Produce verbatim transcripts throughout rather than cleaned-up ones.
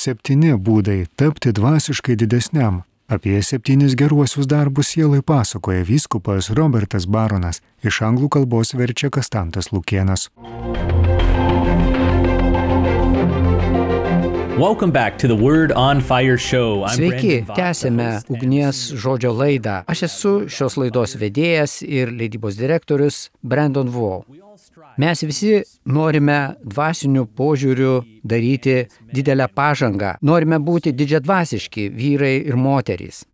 Septyni būdai tapti dvasiškai didesniam. Apie septynis geruosius darbus sielai pasakoja vyskupas Robertas Baronas, iš anglų kalbos verčia Kastantas Lukėnas. Welcome back to the Word on Fire show. I'm Sveiki, Brandon Voss, tęsime the host and- ugnies žodžio laidą. Aš esu šios laidos vedėjas ir leidybos direktorius Brandon Voss. Mes visi norime dvasiniu požiūriu daryti didelę pažangą. Norime būti didžiadvasiški vyrai ir moterys.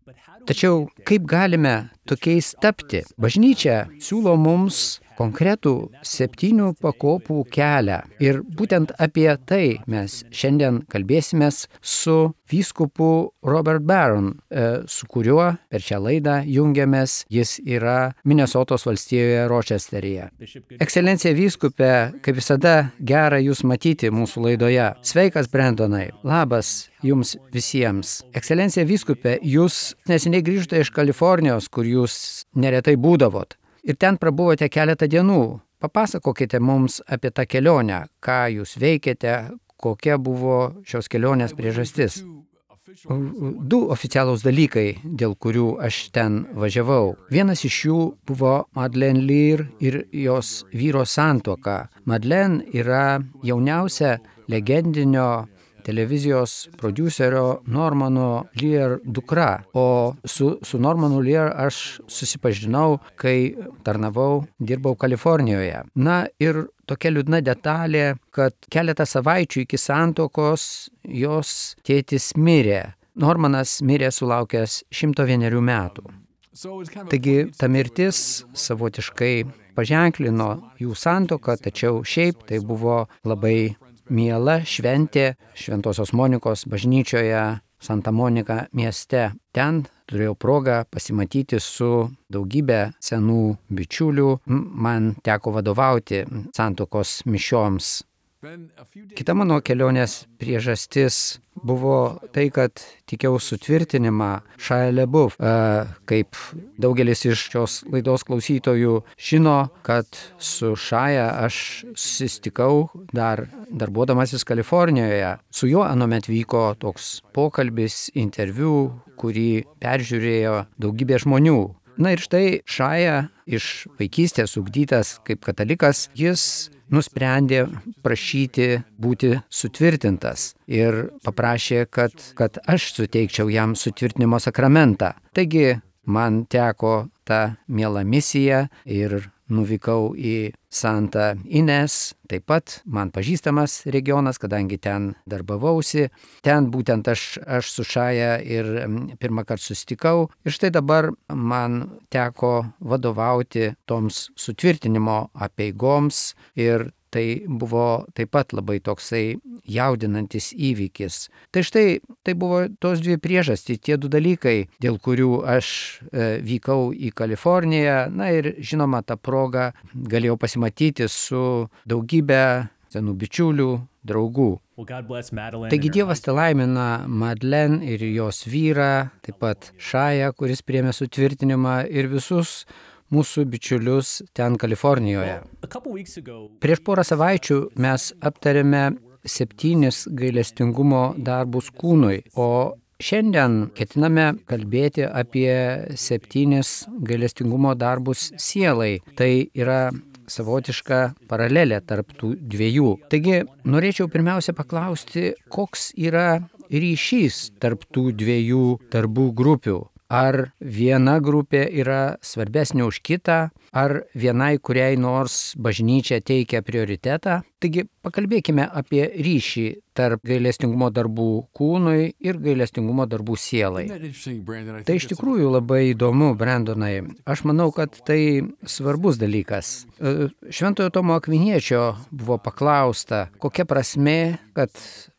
Tačiau kaip galime tokiais tapti? Bažnyčia siūlo mums konkretų septynių pakopų kelią. Ir būtent apie tai mes šiandien kalbėsimės su vyskupu Robert Barron, su kuriuo per šią laidą jungiamės. Jis yra Minesotos valstijoje Rochesteryje. Ekscelencija vyskupe, kaip visada gera Jūs matyti mūsų laidoje. Sveikas, Brandonai. Labas Jums visiems. Ekscelencija vyskupe, Jūs neseniai grįžote iš Kalifornijos, kur Jūs neretai būdavot. Ir ten prabuvote keletą dienų. Papasakokite mums apie tą kelionę, ką Jūs veikėte, kokia buvo šios kelionės priežastis. Du oficialūs dalykai, dėl kurių aš ten važiavau. Vienas iš jų buvo Madeleine Lear ir jos vyro santuoka. Madeleine yra jauniausia legendinio televizijos prodiuserio Normano Lear dukra, o su, su Normanu Lear aš susipažinau, kai tarnavau, dirbau Kalifornijoje. Na ir tokia liūdna detalė, kad keletą savaičių iki santuokos jos tėtis mirė. Normanas mirė sulaukęs šimto vienerių metų. Taigi ta mirtis savotiškai paženklino jų santuoką, tačiau šiaip tai buvo labai miela šventė Šventosios Monikos bažnyčioje Santa Monika mieste. Ten turėjau progą pasimatyti su daugybė senų bičiulių. Man teko vadovauti santuokos mišioms. Kita mano kelionės priežastis buvo tai, kad tikėjau sutvirtinimą Shia LaBeouf. Kaip daugelis iš šios laidos klausytojų žino, kad su Shia aš susitikau dar darbuodamasis Kalifornijoje. Su juo anuomet vyko toks pokalbis, interviu, kurį peržiūrėjo daugybė žmonių. Na ir štai Shia iš vaikystės ugdytas kaip katalikas, jis nusprendė prašyti būti sutvirtintas ir paprašė, kad, kad aš suteikčiau jam sutvirtinimo sakramentą. Taigi man teko ta miela misija ir nuvykau į Santa Ines, taip pat man pažįstamas regionas, kadangi ten darbavausi. Ten būtent aš, aš su Shia ir pirmą kartą susitikau. Ir štai dabar man teko vadovauti toms sutvirtinimo apeigoms ir tai buvo taip pat labai toksai jaudinantis įvykis. Tai štai tai buvo tos dvi priežastys, tie du dalykai, dėl kurių aš e, vykau į Kaliforniją. Na ir žinoma, tą progą galėjau pasimatyti su daugybė senų bičiulių, draugų. Taigi Dievas te laimina Madeleine ir jos vyrą, taip pat Shia, kuris priėmė sutvirtinimą, ir visus mūsų bičiulius ten Kalifornijoje. Prieš porą savaičių mes aptarėme septynis gailestingumo darbus kūnui, o šiandien ketiname kalbėti apie septynis gailestingumo darbus sielai. Tai yra savotiška paralelė tarp tų dviejų. Taigi norėčiau pirmiausia paklausti, koks yra ryšys tarp tų dviejų darbų grupių. Ar viena grupė yra svarbesnė už kitą, ar vienai kuriai nors bažnyčia teikia prioritetą. Taigi pakalbėkime apie ryšį tarp gailestingumo darbų kūnui ir gailestingumo darbų sielai. Tai iš tikrųjų labai įdomu, Brandonai. Aš manau, kad tai svarbus dalykas. Šventojo Tomo Akviniečio buvo paklausta, kokia prasmė, kad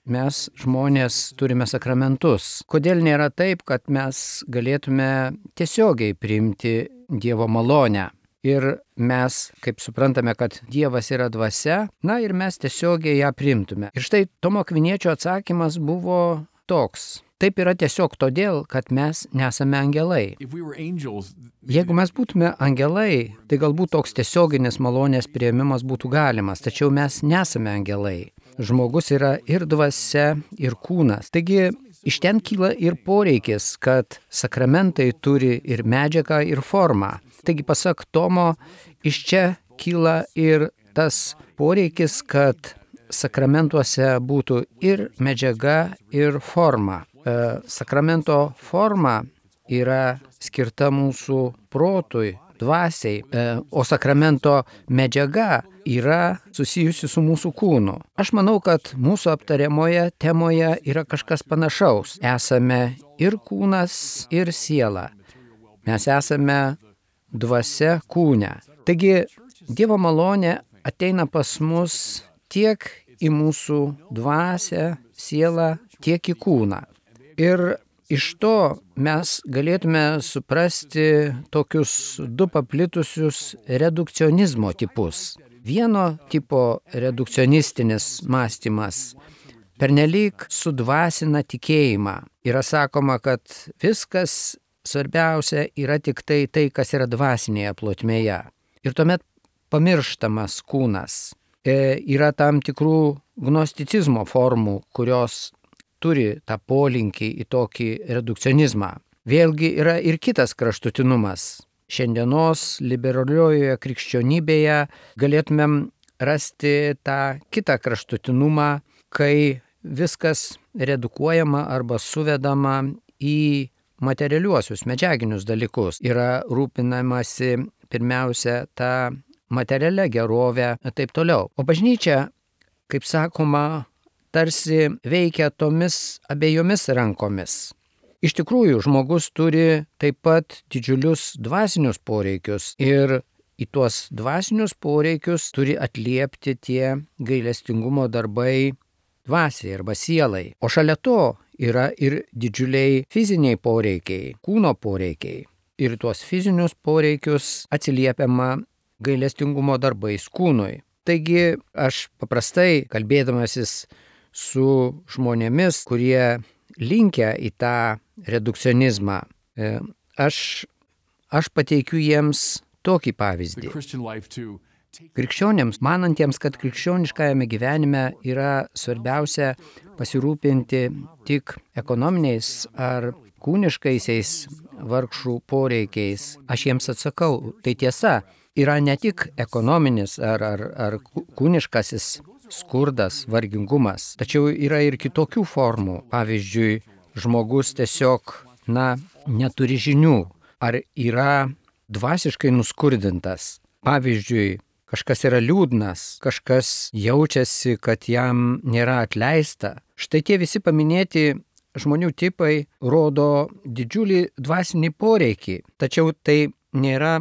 mes žmonės turime sakramentus. Kodėl nėra taip, kad mes galėtume tiesiogiai priimti Dievo malonę? Ir mes, kaip suprantame, kad Dievas yra dvasia, na ir mes tiesiogiai ją priimtume. Ir štai Tomo Akviniečio atsakymas buvo toks. Taip yra tiesiog todėl, kad mes nesame angelai. Jeigu mes būtume angelai, tai galbūt toks tiesioginis malonės priėmimas būtų galimas, tačiau mes nesame angelai. žmogus yra ir dvasia, ir kūnas. Taigi iš ten kyla ir poreikis, kad sakramentai turi ir medžiagą, ir formą. Taigi pasak Tomo, iš čia kyla ir tas poreikis, kad sakramentuose būtų ir medžiaga, ir forma. Sakramento forma yra skirta mūsų protui, dvasiai, o sakramento medžiaga yra susijusi su mūsų kūnu. Aš manau, kad mūsų aptariamoje temoje yra kažkas panašaus. Esame ir kūnas, ir siela. Mes esame dvasia kūne. Taigi, Dievo malonė ateina pas mus tiek į mūsų dvasią, sielą, tiek į kūną. Ir iš to mes galėtume suprasti tokius du paplitusius redukcionizmo tipus. Vieno tipo redukcionistinis mąstymas pernelyg sudvasina tikėjimą. Yra sakoma, kad viskas svarbiausia yra tik tai, tai kas yra dvasinėje plotmėje. Ir tuomet pamirštamas kūnas. E, yra tam tikrų gnosticizmo formų, kurios turi tą polinkį į tokį redukcionizmą. Vėlgi yra ir kitas kraštutinumas. Šiandienos liberaliojoje krikščionybėje galėtumėm rasti tą kitą kraštutinumą, kai viskas redukuojama arba suvedama į materialiuosius, medžiaginius dalykus. Yra rūpinamasi pirmiausia tą materialią gerovę ir taip toliau. O bažnyčia, kaip sakoma, tarsi veikia tomis abiejomis rankomis. Iš tikrųjų, žmogus turi taip pat didžiulius dvasinius poreikius ir į tuos dvasinius poreikius turi atliepti tie gailestingumo darbai dvasiai arba sielai. O šalia to yra ir didžiuliai fiziniai poreikiai, kūno poreikiai. Ir tuos fizinius poreikius atsiliepiama gailestingumo darbais kūnui. Taigi aš paprastai kalbėdamasis su žmonėmis, kurie linkę į tą redukcionizmą, aš, aš pateikiu jiems tokį pavyzdį. Krikščionėms, manantiems, kad krikščioniškajame gyvenime yra svarbiausia pasirūpinti tik ekonominiais ar kūniškaisiais vargšų poreikiais, aš jiems atsakau, tai tiesa, yra ne tik ekonominis ar, ar, ar kūniškasis skurdas, vargingumas, tačiau yra ir kitokių formų. Pavyzdžiui, žmogus tiesiog, na, neturi žinių, ar yra dvasiškai nuskurdintas. Pavyzdžiui, kažkas yra liūdnas, kažkas jaučiasi, kad jam nėra atleista. Štai tie visi paminėti žmonių tipai rodo didžiulį dvasinį poreikį, tačiau tai nėra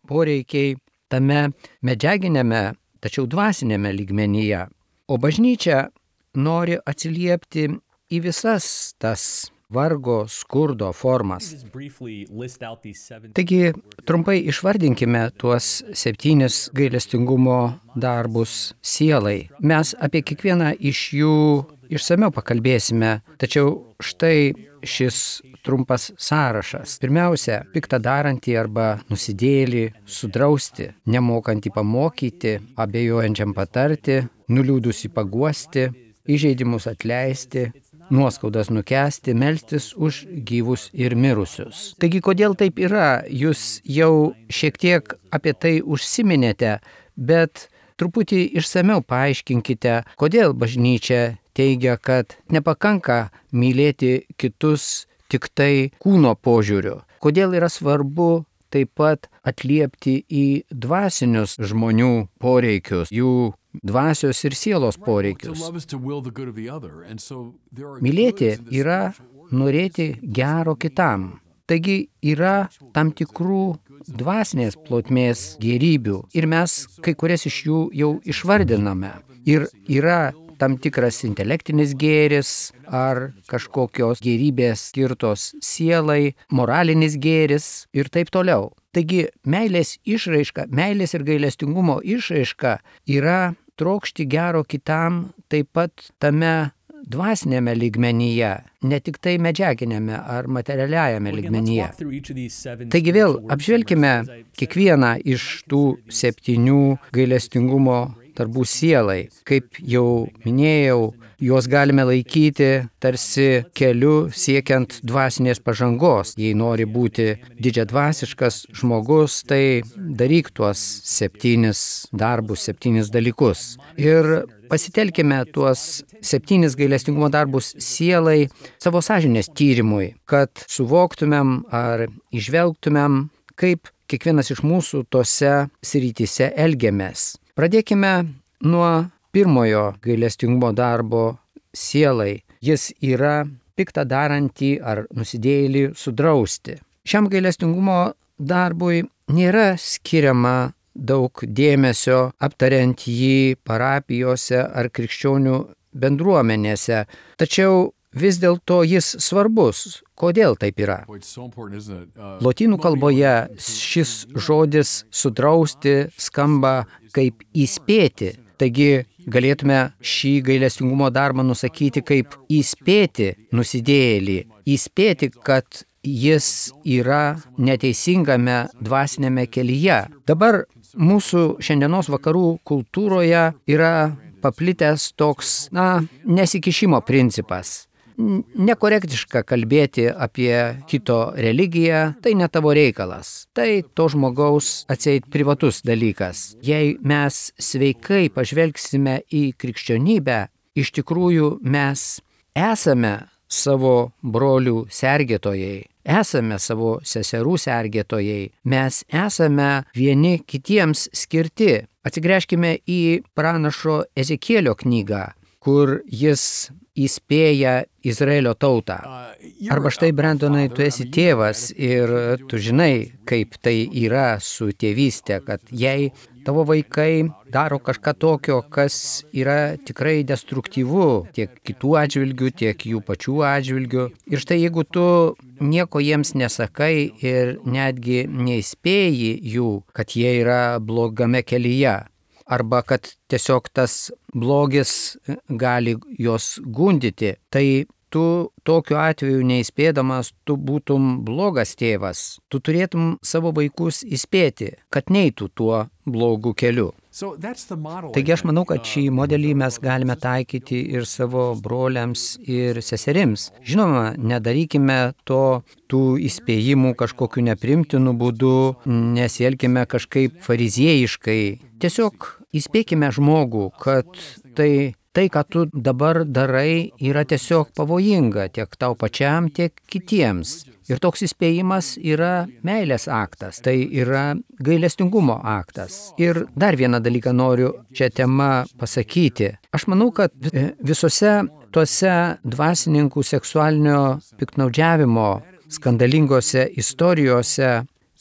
poreikiai tame medžiaginėme, tačiau dvasinėme lygmenyje. O bažnyčia nori atsiliepti į visas tas vargo, skurdo formas. Taigi, trumpai išvardinkime tuos septynis gailestingumo darbus sielai. Mes apie kiekvieną iš jų išsamiau pakalbėsime, tačiau štai šis trumpas sąrašas. Pirmiausia, piktą darantį arba nusidėjėlį sudrausti, nemokantį pamokyti, abejojančiam patarti, nuliūdusį paguosti, įžeidimus atleisti, nuoskaudas nukęsti, melstis už gyvus ir mirusius. Taigi, kodėl taip yra, jūs jau šiek tiek apie tai užsiminėte, bet truputį išsamiau paaiškinkite, kodėl bažnyčia teigia, kad nepakanka mylėti kitus tik tai kūno požiūriu. Kodėl yra svarbu taip pat atliepti į dvasinius žmonių poreikius, jų dvasios ir sielos poreikius. Mylėti yra norėti gero kitam. Taigi yra tam tikrų dvasinės plotmės gėrybių ir mes kai kurias iš jų jau išvardiname. Ir yra tam tikras intelektinis gėris ar kažkokios gėrybės skirtos sielai, moralinis gėris ir taip toliau. Taigi meilės išraiška, meilės ir gailestingumo išraiška yra trokšti gero kitam taip pat tame dvasinėme lygmenyje, ne tik tai medžiaginėme ar materialiajame lygmenyje. Taigi vėl apžvelkime kiekvieną iš tų septynių gailestingumo darbų sielai. Kaip jau minėjau, juos galime laikyti tarsi keliu siekiant dvasinės pažangos. Jei nori būti didžiadvasiškas žmogus, tai daryk tuos septynis darbus, septynis dalykus. Ir pasitelkime tuos septynis gailestingumo darbus sielai savo sąžinės tyrimui, kad suvoktumėm ar įžvelgtumėm, kaip kiekvienas iš mūsų tose srityse elgiamės. Pradėkime nuo pirmojo gailestingumo darbo sielai. Jis yra piktą darantį ar nusidėjėlį sudrausti. Šiam gailestingumo darbui nėra skiriama daug dėmesio aptariant jį parapijose ar krikščionių bendruomenėse, tačiau vis dėlto jis svarbus. Kodėl taip yra? Lotynų kalboje šis žodis sudrausti skamba kaip įspėti. Taigi galėtume šį gailestingumo darbą nusakyti kaip įspėti nusidėjėlį. Įspėti, kad jis yra neteisingame dvasinėme kelyje. Dabar mūsų šiandienos vakarų kultūroje yra paplitęs toks, na, nesikišimo principas. Nekorektiška kalbėti apie kito religiją, tai ne tavo reikalas. Tai to žmogaus atseit privatus dalykas. Jei mes sveikai pažvelgsime į krikščionybę, iš tikrųjų mes esame savo brolių sergėtojai, esame savo seserų sergėtojai, mes esame vieni kitiems skirti. Atsigręžkime į pranašo Ezekielio knygą, kur jis įspėja Izraelio tautą. Arba štai, Brandonai, tu esi tėvas ir tu žinai, kaip tai yra su tėvystė, kad jei tavo vaikai daro kažką tokio, kas yra tikrai destruktyvu tiek kitų atžvilgių, tiek jų pačių atžvilgių. Ir štai jeigu tu nieko jiems nesakai ir netgi neįspėji jų, kad jie yra blogame kelyje, arba kad tiesiog tas blogis gali juos gundyti, tai tu tokiu atveju neįspėdamas, tu būtum blogas tėvas. Tu turėtum savo vaikus įspėti, kad neitų tuo blogu keliu. Taigi aš manau, kad šį modelį mes galime taikyti ir savo broliams ir seserims. Žinoma, nedarykime to tų įspėjimų kažkokiu neprimtinu būdu, nesielkime kažkaip fariziejiškai. Tiesiog įspėkime žmogų, kad tai Tai, ką tu dabar darai, yra tiesiog pavojinga tiek tau pačiam, tiek kitiems. Ir toks įspėjimas yra meilės aktas, tai yra gailestingumo aktas. Ir dar vieną dalyką noriu čia tema pasakyti. Aš manau, kad visose tuose dvasininkų seksualinio piktnaudžiavimo skandalingose istorijose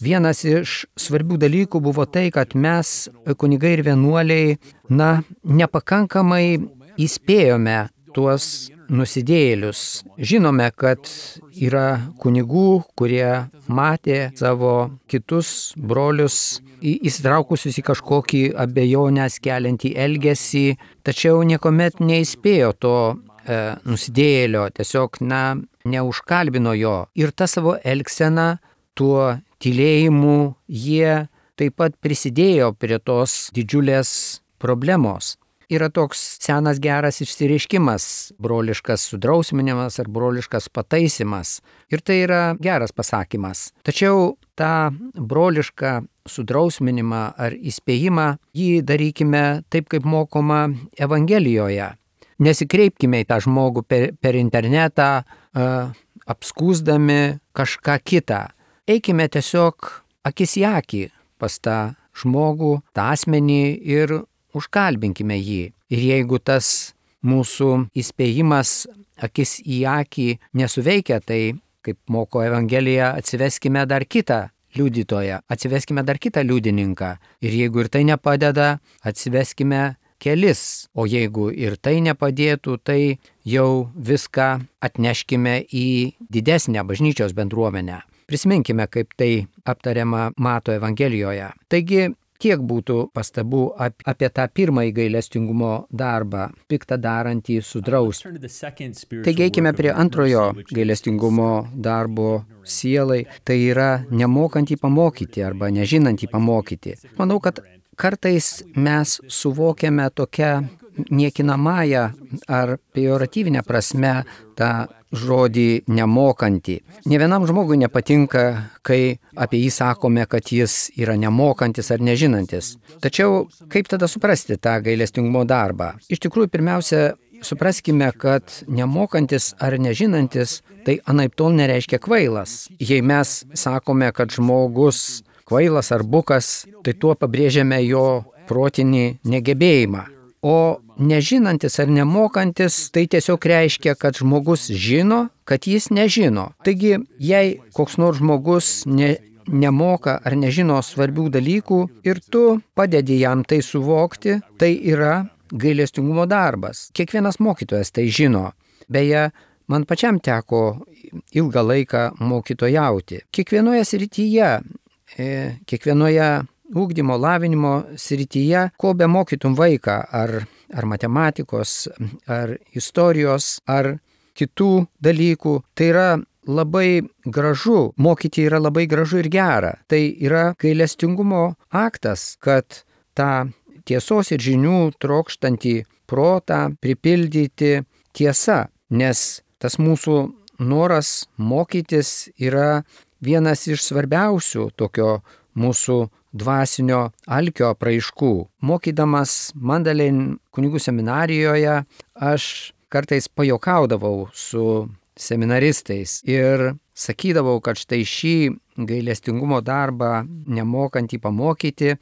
vienas iš svarbių dalykų buvo tai, kad mes, kunigai ir vienuoliai, na, nepakankamai įspėjome tuos nusidėjėlius. Žinome, kad yra kunigų, kurie matė savo kitus brolius įsitraukusius į kažkokį abejonės keliantį elgesį, tačiau niekuomet neįspėjo to e, nusidėjėlio, tiesiog, na, neužkalbino jo. Ir tą savo elgseną, tuo tylėjimu, jie taip pat prisidėjo prie tos didžiulės problemos. Yra toks senas geras išsireiškimas, broliškas sudrausminimas ar broliškas pataisimas. Ir tai yra geras pasakymas. Tačiau tą brolišką sudrausminimą ar įspėjimą, jį darykime taip, kaip mokoma Evangelijoje. Nesikreipkime į tą žmogų per, per internetą, uh, apskūsdami kažką kitą. Eikime tiesiog akis į akį pas tą žmogų, tą asmenį ir užkalbinkime jį. Ir jeigu tas mūsų įspėjimas akis į akį nesuveikia, tai, kaip moko Evangelija, atsiveskime dar kitą liudytoją, atsiveskime dar kitą liudininką. Ir jeigu ir tai nepadeda, atsiveskime kelis. O jeigu ir tai nepadėtų, tai jau viską atneškime į didesnę bažnyčios bendruomenę. Prisiminkime, kaip tai aptariama Mato Evangelijoje. Taigi, tiek būtų pastabų apie tą pirmąjį gailestingumo darbą, piktą darantį sudrausti. Taigi eikime prie antrojo gailestingumo darbo sielai, tai yra nemokantį pamokyti arba nežinantį pamokyti. Manau, kad kartais mes suvokiame tokią niekinamąją ar pejoratyvinę prasme tą žodį nemokantį. Ne vienam žmogui nepatinka, kai apie jį sakome, kad jis yra nemokantis ar nežinantis. Tačiau kaip tada suprasti tą gailestingumo darbą? Iš tikrųjų, pirmiausia, supraskime, kad nemokantis ar nežinantis, tai anaiptol nereiškia kvailas. Jei mes sakome, kad žmogus kvailas ar bukas, tai tuo pabrėžiame jo protinį negebėjimą. O nežinantis ar nemokantis, tai tiesiog reiškia, kad žmogus žino, kad jis nežino. Taigi, jei koks nors žmogus ne, nemoka ar nežino svarbių dalykų ir tu padedi jam tai suvokti, tai yra gailestingumo darbas. Kiekvienas mokytojas tai žino. Beje, man pačiam teko ilgą laiką mokytojauti. Kiekvienoje srityje, kiekvienoje ugdymo, lavinimo srityje, ko be mokytum vaiką, ar, ar matematikos, ar istorijos, ar kitų dalykų, tai yra labai gražu, mokyti yra labai gražu ir gera. Tai yra gailestingumo aktas, kad tą tiesos ir žinių trokštantį protą pripildyti tiesa, nes tas mūsų noras mokytis yra vienas iš svarbiausių tokio mūsų dvasinio alkio apraiškų. Mokydamas Mandalin kunigų seminarijoje, aš kartais pajuokaudavau su seminaristais ir sakydavau, kad štai šį gailestingumo darbą nemokantį pamokyti,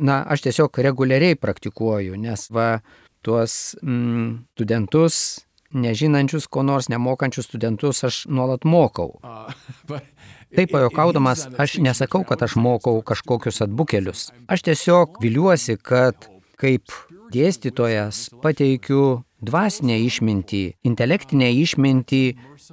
na, aš tiesiog reguliariai praktikuoju, nes va, tuos mm, studentus, nežinančius, ko nors nemokančius studentus aš nuolat mokau. Taip pajuokaudamas, aš nesakau, kad aš mokau kažkokius atbukelius. Aš tiesiog viliuosi, kad kaip dėstytojas pateikiu dvasinę išmintį, intelektinę išmintį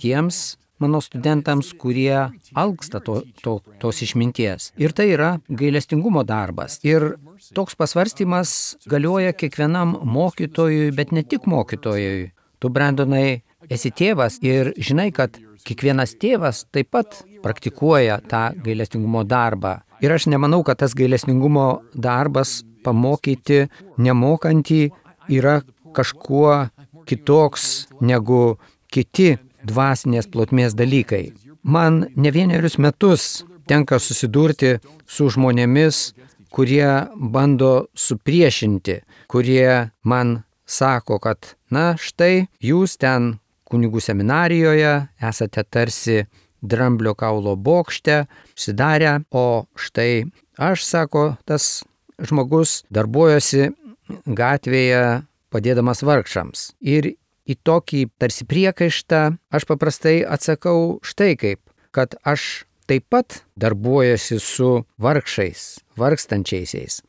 tiems mano studentams, kurie alksta to, to, tos išminties. Ir tai yra gailestingumo darbas. Ir toks pasvarstymas galioja kiekvienam mokytojui, bet ne tik mokytojui. Tu, Brandonai, esi tėvas ir žinai, kad kiekvienas tėvas taip pat praktikuoja tą gailestingumo darbą. Ir aš nemanau, kad tas gailestingumo darbas pamokyti nemokantį yra kažkuo kitoks negu kiti dvasinės plotmės dalykai. Man ne vienerius metus tenka susidurti su žmonėmis, kurie bando supriešinti, kurie man sako, kad na štai jūs ten kunigų seminarijoje esate tarsi dramblio kaulo bokšte, užsidarę, o štai aš, sako, tas žmogus darbuojosi gatvėje padėdamas vargšams. Ir į tokį tarsi priekaištą aš paprastai atsakau štai kaip, kad aš taip pat darbuojuosi su vargšais, vargstančiaisiais.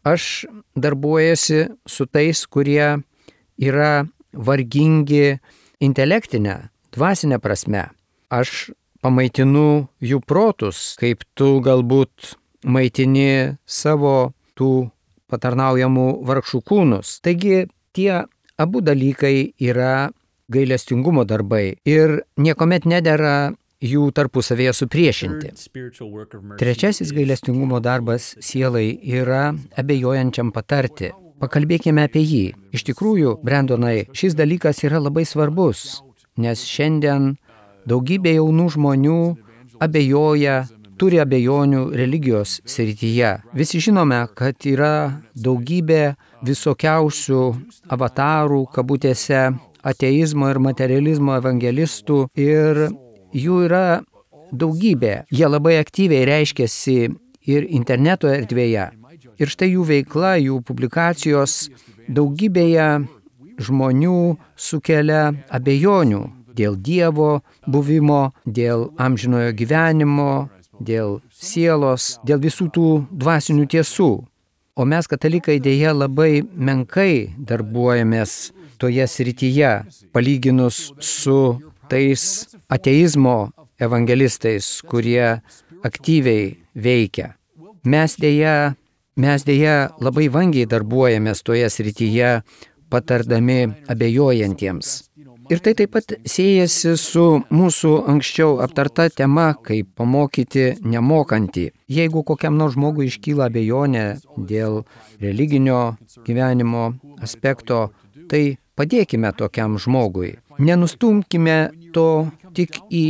Aš darbuojuosi su tais, kurie yra vargingi intelektinę, dvasinę prasme. Aš pamaitinu jų protus, kaip tu galbūt maitini savo tų patarnaujamų vargšų kūnus. Taigi tie abu dalykai yra gailestingumo darbai ir niekuomet nedera jų tarpusavėje supriešinti. Trečiasis gailestingumo darbas sielai yra abejojančiam patarti. Pakalbėkime apie jį. Iš tikrųjų, Brandonai, šis dalykas yra labai svarbus, nes šiandien daugybė jaunų žmonių abejoja, turi abejonių religijos srityje. Visi žinome, kad yra daugybė visokiausių avatarų, kabutėse, ateizmo ir materializmo evangelistų ir jų yra daugybė. Jie labai aktyviai reiškiasi ir interneto erdvėje. Ir štai jų veikla, jų publikacijos daugybėje žmonių sukelia abejonių dėl Dievo buvimo, dėl amžinojo gyvenimo, dėl sielos, dėl visų tų dvasinių tiesų. O mes, katalikai, dėja labai menkai darbuojamės toje srityje, palyginus su tais ateizmo evangelistais, kurie aktyviai veikia. Mes dėja, mes dėja labai vangiai darbuojamės toje srityje, patardami abejojantiems. Ir tai taip pat siejasi su mūsų anksčiau aptarta tema, kaip pamokyti nemokantį. Jeigu kokiam nors žmogui iškyla abejonė dėl religinio gyvenimo aspekto, tai padėkime tokiam žmogui. Nenustumkime to tik į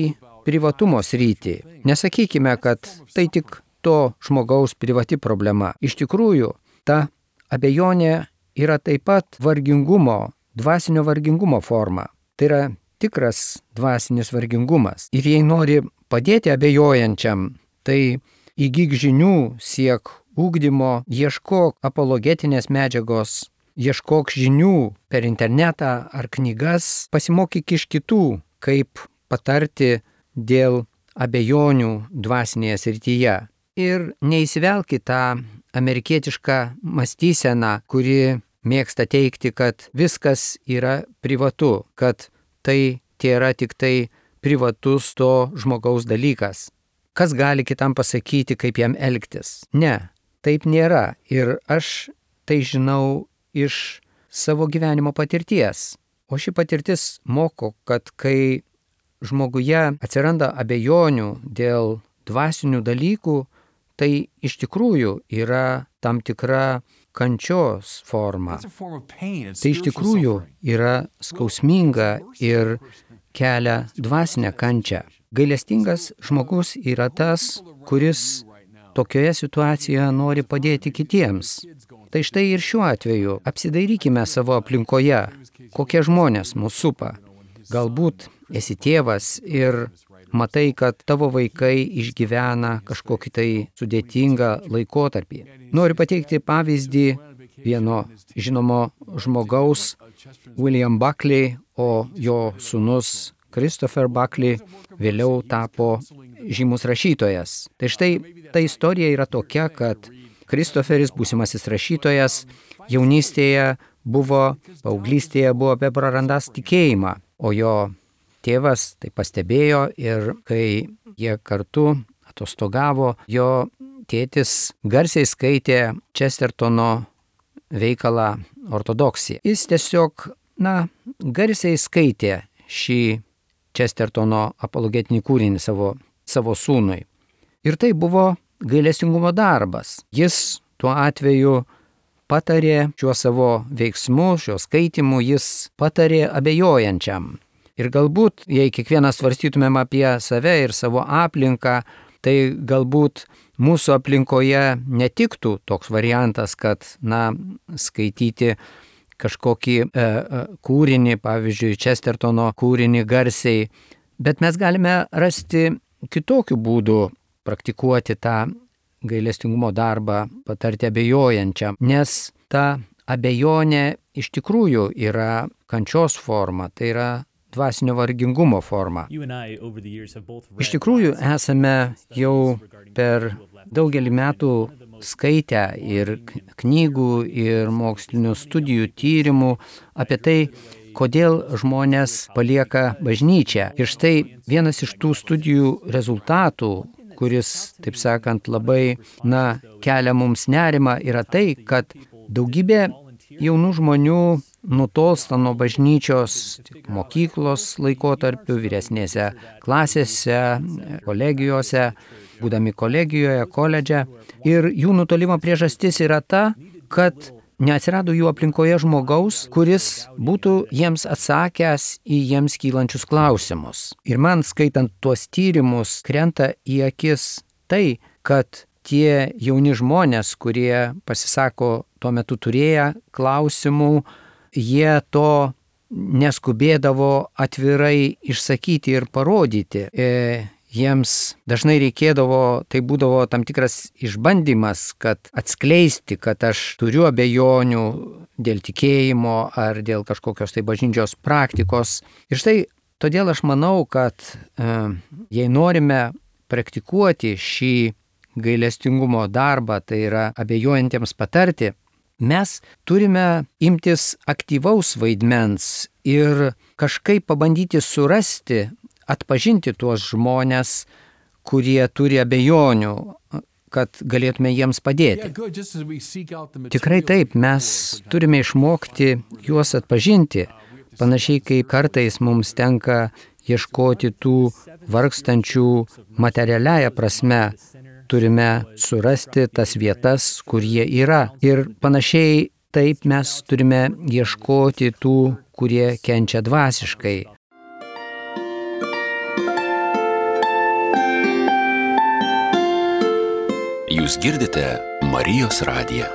privatumo sritį. Nesakykime, kad tai tik to žmogaus privati problema. Iš tikrųjų, ta abejonė yra taip pat vargingumo, dvasinio vargingumo forma. Tai yra tikras dvasinis vargingumas. Ir jei nori padėti abejojančiam, tai įgyk žinių, siek ugdymo, ieškok apologetinės medžiagos, ieškok žinių per internetą ar knygas, pasimokyk iš kitų, kaip patarti dėl abejonių dvasinėje srityje. Ir neįsivelk į tą amerikietišką mąstyseną, kuri mėgsta teikti, kad viskas yra privatu, kad tai tėra tik tai privatus to žmogaus dalykas. Kas gali kitam pasakyti, kaip jam elgtis? Ne, taip nėra. Ir aš tai žinau iš savo gyvenimo patirties. O ši patirtis moko, kad kai žmoguje atsiranda abejonių dėl dvasinių dalykų, tai iš tikrųjų yra tam tikra kančios forma. Tai iš tikrųjų yra skausminga ir kelia dvasinę kančią. Gailestingas žmogus yra tas, kuris tokioje situacijoje nori padėti kitiems. Tai štai ir šiuo atveju apsidairykime savo aplinkoje, kokie žmonės mūsų supa. Galbūt esi tėvas ir matai, kad tavo vaikai išgyvena kažkokį tai sudėtingą laikotarpį. Noriu pateikti pavyzdį vieno žinomo žmogaus, William Buckley, o jo sūnus Christopher Buckley vėliau tapo žymus rašytojas. Tai štai ta istorija yra tokia, kad Christopheris, būsimasis rašytojas, jaunystėje buvo, paauglystėje buvo apie prarandąs tikėjimą, o jo tėvas tai pastebėjo ir kai jie kartu atostogavo, jo tėtis garsiai skaitė Chestertono veikalą Ortodoksija. Jis tiesiog, na, garsiai skaitė šį Chestertono apologetinį kūrinį savo, savo sūnui. Ir tai buvo gailestingumo darbas. Jis tuo atveju patarė šiuo savo veiksmu, šiuo skaitimu, jis patarė abejojančiam. Ir galbūt, jei kiekvienas svarstytumėm apie save ir savo aplinką, tai galbūt mūsų aplinkoje netiktų toks variantas, kad, na, skaityti kažkokį e, e, kūrinį, pavyzdžiui, Chestertono kūrinį garsiai, bet mes galime rasti kitokių būdų praktikuoti tą gailestingumo darbą, patarti abejojančiam, nes ta abejonė iš tikrųjų yra kančios forma, tai yra dvasinio vargingumo forma. Iš tikrųjų esame jau per daugelį metų skaitę ir knygų, ir mokslinių studijų, tyrimų apie tai, kodėl žmonės palieka bažnyčią. Ir štai vienas iš tų studijų rezultatų, kuris, taip sakant, labai, na, kelia mums nerimą, yra tai, kad daugybė jaunų žmonių nutolsta nuo bažnyčios mokyklos laikotarpiu, vyresnėse klasėse, kolegijose, būdami kolegijoje, koledže. Ir jų nutolimo priežastis yra ta, kad neatsirado jų aplinkoje žmogaus, kuris būtų jiems atsakęs į jiems kylančius klausimus. Ir man, skaitant tuos tyrimus, krenta į akis tai, kad tie jauni žmonės, kurie pasisako tuo metu turėję klausimų, jie to neskubėdavo atvirai išsakyti ir parodyti. E, jiems dažnai reikėdavo, tai būdavo tam tikras išbandymas, kad atskleisti, kad aš turiu abejonių dėl tikėjimo ar dėl kažkokios tai bažnyčios praktikos. Ir štai todėl aš manau, kad e, jei norime praktikuoti šį gailestingumo darbą, tai yra abejojantiems patarti, mes turime imtis aktyvaus vaidmens ir kažkaip pabandyti surasti, atpažinti tuos žmonės, kurie turi abejonių, kad galėtume jiems padėti. Tikrai taip, mes turime išmokti juos atpažinti, Panašiai kaip kartais mums tenka ieškoti tų vargstančių materialiąją prasme, turime surasti tas vietas, kur jie yra. Ir panašiai taip mes turime ieškoti tų, kurie kenčia dvasiškai. Jūs girdite Marijos radiją.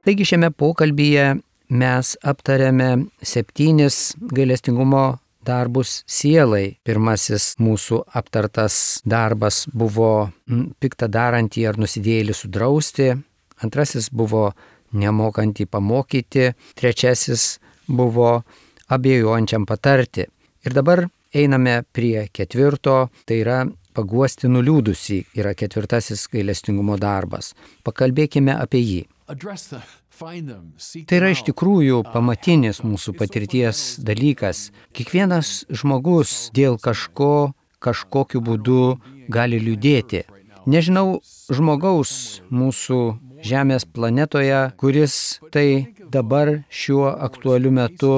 Taigi šiame pokalbyje mes aptarėme septynis gailestingumo darbus sielai. Pirmasis mūsų aptartas darbas buvo piktą darantį ar nusidėjėlį sudrausti. Antrasis buvo nemokantį pamokyti. Trečiasis buvo abejojančiam patarti. Ir dabar einame prie ketvirto, tai yra paguosti nuliūdusį, yra ketvirtasis gailestingumo darbas. Pakalbėkime apie jį. Tai yra iš tikrųjų pamatinis mūsų patirties dalykas. Kiekvienas žmogus dėl kažko, kažkokiu būdu gali liūdėti. Nežinau žmogaus mūsų Žemės planetoje, kuris tai dabar šiuo aktualiu metu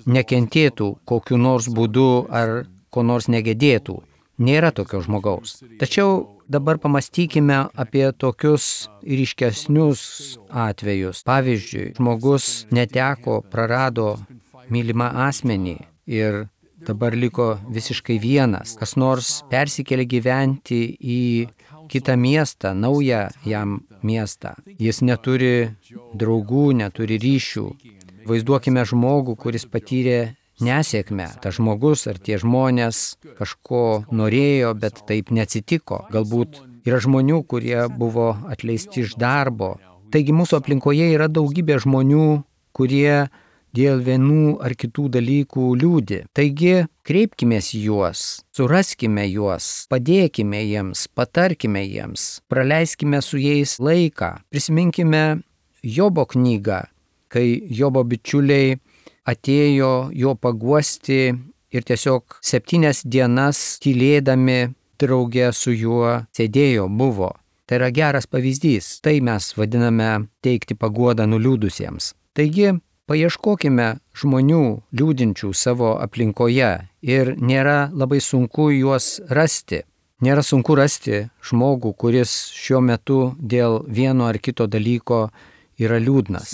nekentėtų kokiu nors būdu ar ko nors negedėtų. Nėra tokio žmogaus. Tačiau dabar pamastykime apie tokius ryškesnius atvejus. Pavyzdžiui, žmogus neteko, prarado mylimą asmenį ir dabar liko visiškai vienas. Kas nors persikėlė gyventi į kitą miestą, naują jam miestą. Jis neturi draugų, neturi ryšių. Vaizduokime žmogų, kuris patyrė nesėkmę. Tas žmogus ar tie žmonės kažko norėjo, bet taip neatsitiko. Galbūt yra žmonių, kurie buvo atleisti iš darbo. Taigi mūsų aplinkoje yra daugybė žmonių, kurie dėl vienų ar kitų dalykų liūdi. Taigi kreipkimės į juos, suraskime juos, padėkime jiems, patarkime jiems, praleiskime su jais laiką. Prisiminkime Jobo knygą, kai Jobo bičiuliai atėjo jo paguosti ir tiesiog septynias dienas tylėdami drauge su juo sėdėjo, buvo. Tai yra geras pavyzdys. Tai mes vadiname teikti paguodą nuliūdusiems. Taigi, paieškokime žmonių liūdinčių savo aplinkoje ir nėra labai sunku juos rasti. Nėra sunku rasti žmogų, kuris šiuo metu dėl vieno ar kito dalyko yra liūdnas.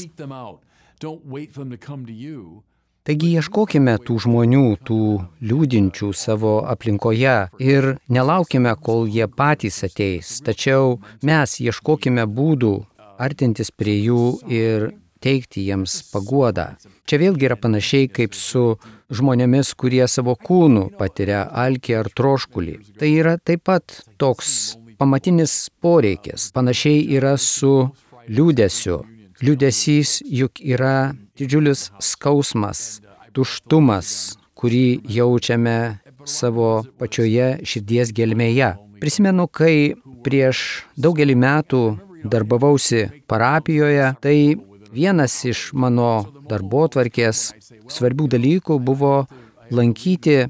Taigi ieškokime tų žmonių, tų liūdinčių savo aplinkoje ir nelaukime, kol jie patys ateis. Tačiau mes ieškokime būdų artintis prie jų ir teikti jiems paguodą. Čia vėlgi yra panašiai kaip su žmonėmis, kurie savo kūnų patiria alkį ar troškulį. Tai yra taip pat toks pamatinis poreikis. Panašiai yra su liūdesiu. Liūdesys juk yra didžiulis skausmas, tuštumas, kurį jaučiame savo pačioje širdies gelmėje. Prisimenu, kai prieš daugelį metų darbavausi parapijoje, tai vienas iš mano darbotvarkės svarbių dalykų buvo lankyti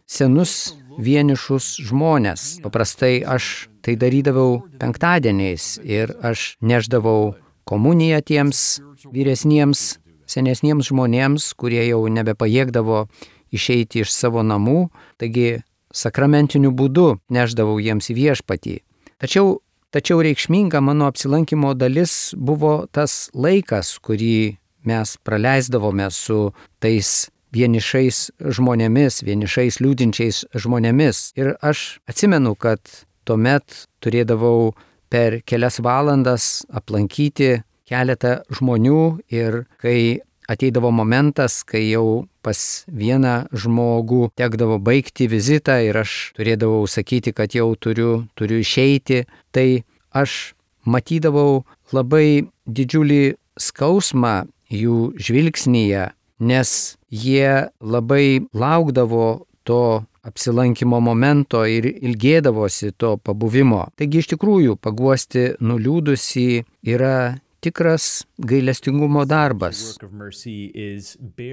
senus vienišus žmones. Paprastai aš tai darydavau penktadieniais ir aš neždavau komuniją tiems vyresniems, senesniems žmonėms, kurie jau nebepajėgdavo išeiti iš savo namų, taigi sakramentiniu būdu neždavau jiems į viešpatį. Tačiau Tačiau reikšminga mano apsilankimo dalis buvo tas laikas, kurį mes praleisdavome su tais vienišais žmonėmis, vienišais liūdinčiais žmonėmis. Ir aš atsimenu, kad tuomet turėdavau per kelias valandas aplankyti keletą žmonių ir kai ateidavo momentas, kai jau pas vieną žmogų tekdavo baigti vizitą ir aš turėdavau sakyti, kad jau turiu, turiu išeiti, tai aš matydavau labai didžiulį skausmą jų žvilgsnyje, nes jie labai laukdavo to apsilankimo momento ir ilgėdavosi to pabuvimo. Taigi iš tikrųjų paguosti nuliūdusį yra tikras gailestingumo darbas.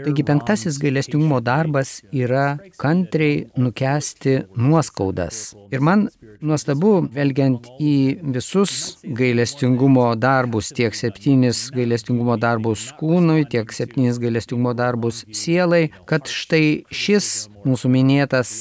Taigi penktasis gailestingumo darbas yra kantriai nukęsti nuoskaudas. Ir man nuostabu, žvelgiant į visus gailestingumo darbus, tiek septynis gailestingumo darbus kūnui, tiek septynis gailestingumo darbus sielai, kad štai šis mūsų minėtas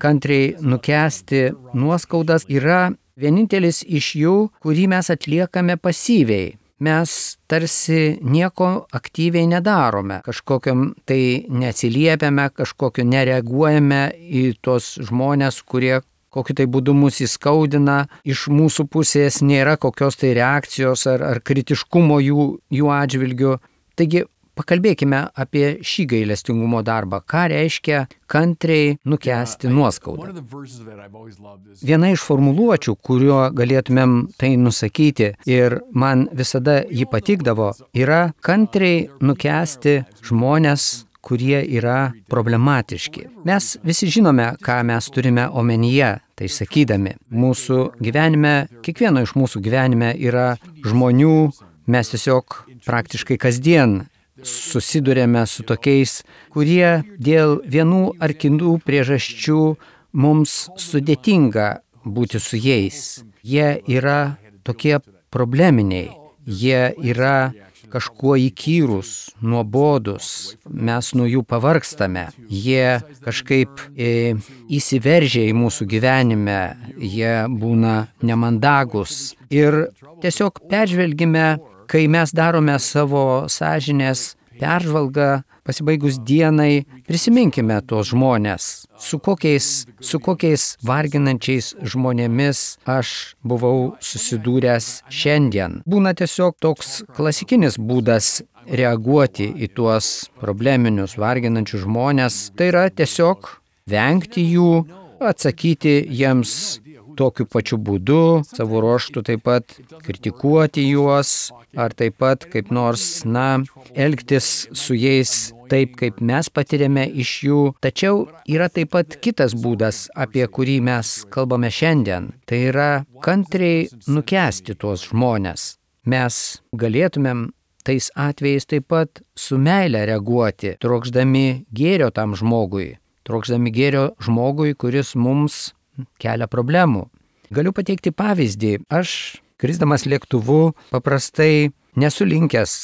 kantriai nukęsti nuoskaudas yra vienintelis iš jų, kurį mes atliekame pasyviai. Mes tarsi nieko aktyviai nedarome, kažkokiam tai neatsiliepiame, kažkokio nereaguojame į tos žmonės, kurie kokiu tai būdu mus įskaudina, iš mūsų pusės nėra kokios tai reakcijos ar, ar kritiškumo jų, jų atžvilgiu. Taigi, pakalbėkime apie šį gailestingumo darbą. Ką reiškia kantriai nukęsti nuoskaudą? Viena iš formuluočių, kuriuo galėtumėm tai nusakyti ir man visada jį patikdavo, yra kantriai nukęsti žmonės, kurie yra problematiški. Mes visi žinome, ką mes turime omenyje, tai sakydami. Mūsų gyvenime, kiekvieno iš mūsų gyvenime yra žmonių, mes tiesiog praktiškai kasdien susidurėme su tokiais, kurie dėl vienų ar kitų priežasčių mums sudėtinga būti su jais. Jie yra tokie probleminiai, jie yra kažkuo įkyrus, nuobodus, mes nuo jų pavargstame, jie kažkaip e, įsiveržia į mūsų gyvenime, jie būna nemandagus. Ir tiesiog peržvelgime, kai mes darome savo sąžinės peržvalgą, pasibaigus dienai, prisiminkime tos žmonės, su kokiais, su kokiais varginančiais žmonėmis aš buvau susidūręs šiandien. Būna tiesiog toks klasikinis būdas reaguoti į tuos probleminius, varginančius žmonės, tai yra tiesiog vengti jų, atsakyti jiems tokiu pačiu būdu, savo ruožtu taip pat kritikuoti juos, ar taip pat kaip nors, na, elgtis su jais taip, kaip mes patiriame iš jų. Tačiau yra taip pat kitas būdas, apie kurį mes kalbame šiandien. Tai yra kantriai nukęsti tuos žmones. Mes galėtumėm tais atvejais taip pat su meile reaguoti, trokšdami gėrio tam žmogui, trokšdami gėrio žmogui, kuris mums kelia problemų. Galiu pateikti pavyzdį. Aš, krisdamas lėktuvu, paprastai nesu linkęs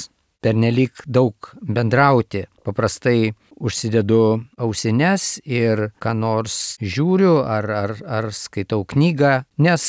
pernelyg daug bendrauti. Paprastai užsidedu ausines ir ką nors žiūriu ar, ar, ar skaitau knygą, nes,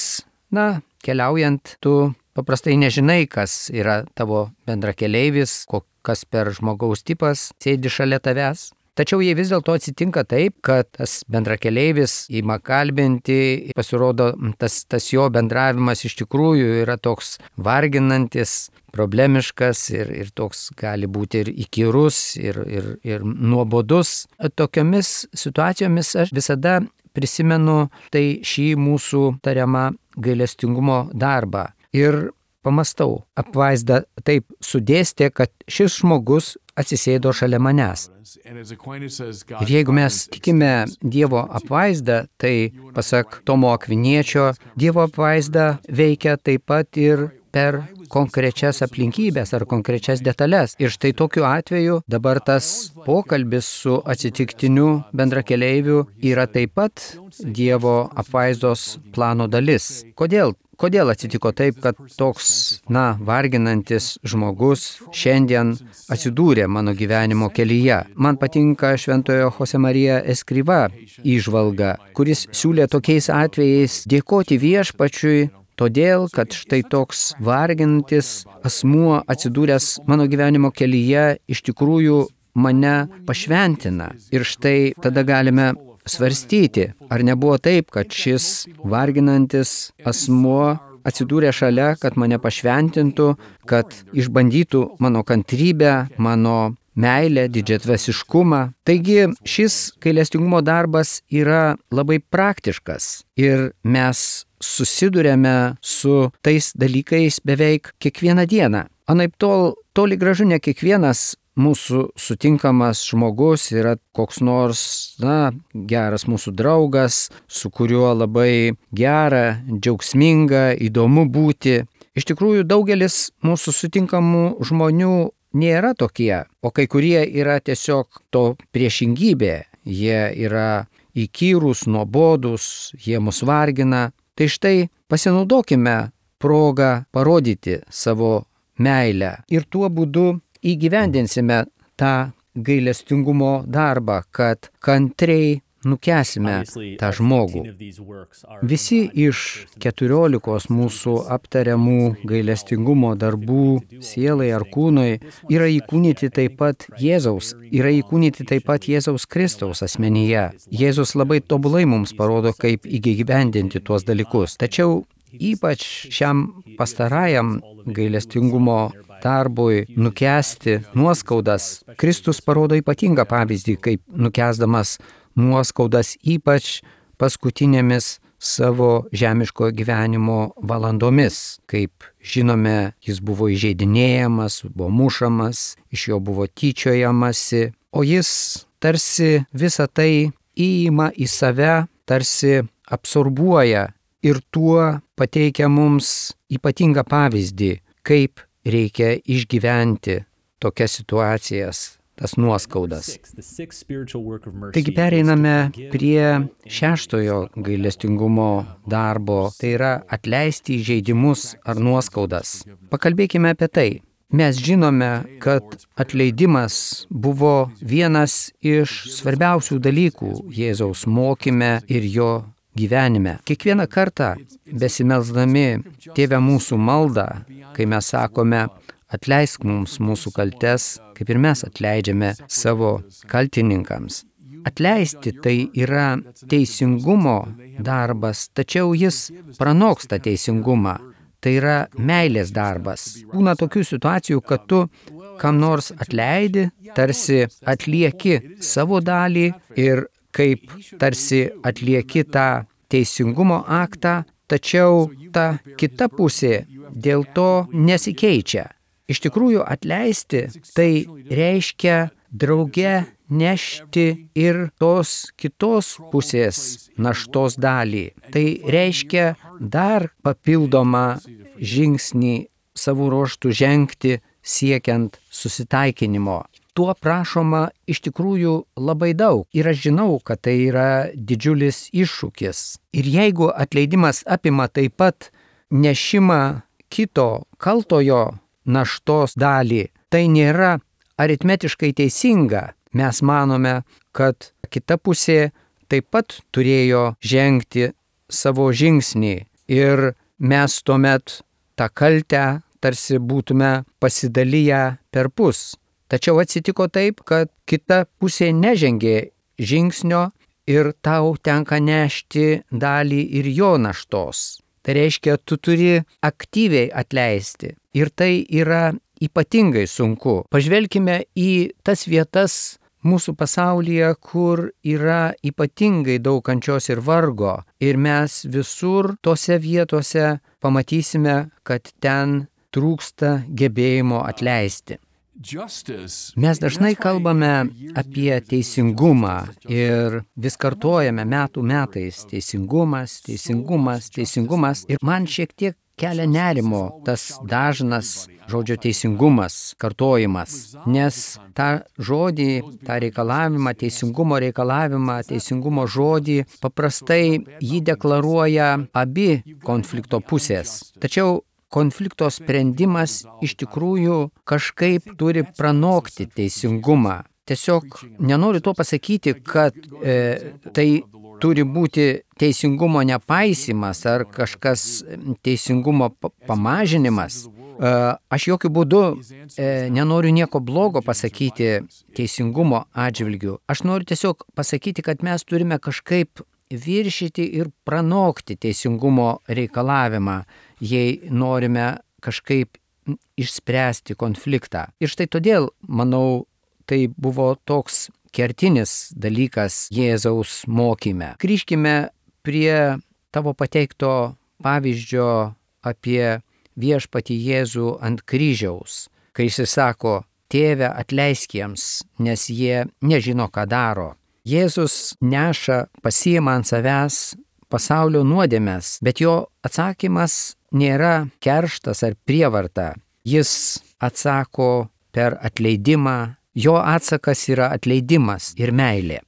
na, keliaujant, tu paprastai nežinai, kas yra tavo bendrakeleivis, kas per žmogaus tipas sėdi šalia tavęs. Tačiau jei vis dėlto atsitinka taip, kad tas bendrakeleivis ima kalbinti, pasirodo, tas, tas jo bendravimas iš tikrųjų yra toks varginantis, problemiškas ir, ir toks gali būti ir įkyrus, ir, ir, ir nuobodus. Tokiomis situacijomis aš visada prisimenu tai šį mūsų tariamą gailestingumo darbą. Ir pamastau, apvaizda taip sudėstė, kad šis žmogus atsisėdo šalia manęs. Ir jeigu mes tikime Dievo apvaizdą, tai pasak Tomo Akviniečio, Dievo apvaizda veikia taip pat ir per konkrečias aplinkybės ar konkrečias detalės. Ir štai tokiu atveju dabar tas pokalbis su atsitiktiniu bendrakeleiviu yra taip pat Dievo apvaizdos plano dalis. Kodėl? Kodėl atsitiko taip, kad toks, na, varginantis žmogus šiandien atsidūrė mano gyvenimo kelyje? Man patinka šventojo Jose Marija Escriva įžvalga, kuris siūlė tokiais atvejais dėkoti viešpačiui, todėl, kad štai toks varginantis asmuo atsidūręs mano gyvenimo kelyje iš tikrųjų mane pašventina. Ir štai tada galime svarstyti, ar nebuvo taip, kad šis varginantis asmuo atsidūrė šalia, kad mane pašventintų, kad išbandytų mano kantrybę, mano meilę, didžiatvasiškumą. Taigi šis gailestingumo darbas yra labai praktiškas ir mes susiduriame su tais dalykais beveik kiekvieną dieną. Anaip tol, toli gražu ne kiekvienas mūsų sutinkamas žmogus yra koks nors, na, geras mūsų draugas, su kuriuo labai gera, džiaugsminga, įdomu būti. Iš tikrųjų, daugelis mūsų sutinkamų žmonių nėra tokie, o kai kurie yra tiesiog to priešingybė. Jie yra įkyrūs, nuobodūs, jie mus vargina. Tai štai pasinaudokime progą parodyti savo meilę ir tuo būdu įgyvendinsime tą gailestingumo darbą, kad kantriai nukęsime tą žmogų. Visi iš keturiolikos mūsų aptariamų gailestingumo darbų sielai ar kūnui yra įkūnyti taip pat Jėzaus, yra įkūnyti taip pat Jėzaus Kristaus asmenyje. Jėzus labai tobulai mums parodo, kaip įgyvendinti tuos dalykus. Tačiau ypač šiam pastarajam gailestingumo darbui nukęsti nuoskaudas, Kristus parodo ypatingą pavyzdį, kaip nukęsdamas nuoskaudas ypač paskutinėmis savo žemiško gyvenimo valandomis. Kaip žinome, jis buvo įžeidinėjamas, buvo mušamas, iš jo buvo tyčiojamasi, o jis tarsi visą tai įima į save, tarsi absorbuoja ir tuo pateikia mums ypatingą pavyzdį, kaip reikia išgyventi tokias situacijas, tas nuoskaudas. Taigi pereiname prie šeštojo gailestingumo darbo, tai yra atleisti įžeidimus ar nuoskaudas. Pakalbėkime apie tai. Mes žinome, kad atleidimas buvo vienas iš svarbiausių dalykų Jėzaus mokyme ir jo gyvenime. Kiekvieną kartą besimelsdami Tėve mūsų maldą, kai mes sakome, atleisk mums mūsų kaltes, kaip ir mes atleidžiame savo kaltininkams. Atleisti tai yra teisingumo darbas, tačiau jis pranoksta teisingumą. Tai yra meilės darbas. Būna tokių situacijų, kad tu kam nors atleidi, tarsi atlieki savo dalį ir kaip tarsi atlieki tą teisingumo aktą, tačiau ta kita pusė dėl to nesikeičia. Iš tikrųjų, atleisti tai reiškia drauge nešti ir tos kitos pusės naštos dalį. Tai reiškia dar papildomą žingsnį savo ruožtų žengti siekiant susitaikinimo. Tuo prašoma iš tikrųjų labai daug. Ir aš žinau, kad tai yra didžiulis iššūkis. Ir jeigu atleidimas apima taip pat nešimą kito kaltojo naštos dalį, tai nėra aritmetiškai teisinga. Mes manome, kad kita pusė taip pat turėjo žengti savo žingsnį ir mes tuomet tą kaltę tarsi būtume pasidalyję per pus. Tačiau atsitiko taip, kad kita pusė nežengė žingsnio ir tau tenka nešti dalį ir jo naštos. Tai reiškia, tu turi aktyviai atleisti. Ir tai yra ypatingai sunku. Pažvelkime į tas vietas mūsų pasaulyje, kur yra ypatingai daug kančios ir vargo. Ir mes visur tose vietose pamatysime, kad ten trūksta gebėjimo atleisti. Mes dažnai kalbame apie teisingumą ir vis kartojame metų metais teisingumas, teisingumas, teisingumas. Ir man šiek tiek kelia nerimo tas dažnas žodžio teisingumas, kartojimas. Nes tą žodį, tą reikalavimą, teisingumo reikalavimą, teisingumo žodį, paprastai jį deklaruoja abi konflikto pusės. Tačiau konflikto sprendimas iš tikrųjų kažkaip turi pranokti teisingumą. Tiesiog nenoriu to pasakyti, kad e, tai turi būti teisingumo nepaisymas ar kažkas teisingumo pamažinimas. E, aš jokių būdų e, nenoriu nieko blogo pasakyti teisingumo atžvilgiu. Aš noriu tiesiog pasakyti, kad mes turime kažkaip viršyti ir pranokti teisingumo reikalavimą, jei norime kažkaip išspręsti konfliktą. Ir štai todėl, manau, tai buvo toks kertinis dalykas Jėzaus mokyme. Grįžkime prie tavo pateikto pavyzdžio apie viešpatį Jėzų ant kryžiaus, kai jis sako, Tėve, atleisk jiems, nes jie nežino, ką daro. Jėzus neša, pasiima ant savęs pasaulio nuodėmes, bet jo atsakymas nėra kerštas ar prievarta. Jis atsako per atleidimą. Jo atsakas yra atleidimas ir meilė.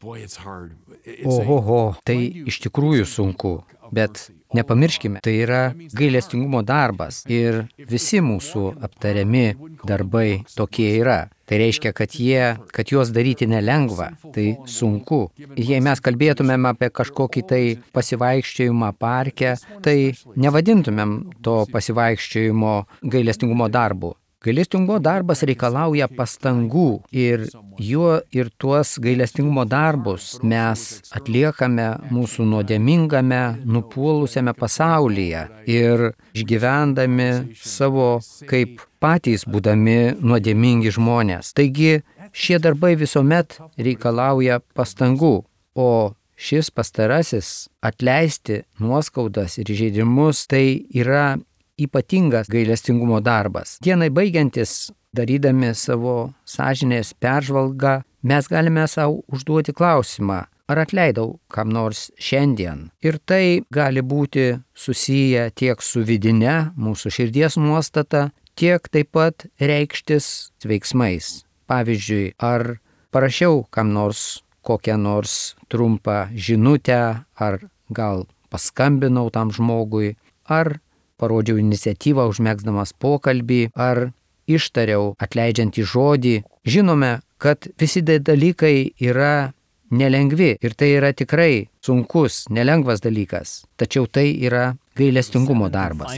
Ohoho, tai iš tikrųjų sunku, bet nepamirškime, tai yra gailestingumo darbas ir visi mūsų aptariami darbai tokie yra. Tai reiškia, kad, jie, kad juos daryti nelengva, tai sunku. Jei mes kalbėtumėm apie kažkokį tai pasivaikščiojimą parke, tai nevadintumėm to pasivaikščiojimo gailestingumo darbu. Gailestingumo darbas reikalauja pastangų ir juo ir tuos gailestingumo darbus mes atliekame mūsų nuodėmingame, nupuolusiame pasaulyje ir išgyvendami savo kaip patys būdami nuodėmingi žmonės. Taigi šie darbai visuomet reikalauja pastangų, o šis pastarasis atleisti nuoskaudas ir įžeidimus tai yra ypatingas gailestingumo darbas. Dienai baigiantis, darydami savo sąžinės peržvalgą, mes galime savo užduoti klausimą, ar atleidau kam nors šiandien. Ir tai gali būti susiję tiek su vidine mūsų širdies nuostata, tiek taip pat reikštis veiksmais. Pavyzdžiui, ar parašiau kam nors kokią nors trumpą žinutę, ar gal paskambinau tam žmogui, ar parodžiau iniciatyvą užmegzdamas pokalbį, ar ištariau atleidžiantį žodį. Žinome, kad visi dalykai yra nelengvi ir tai yra tikrai sunkus, nelengvas dalykas, tačiau tai yra gailestingumo darbas.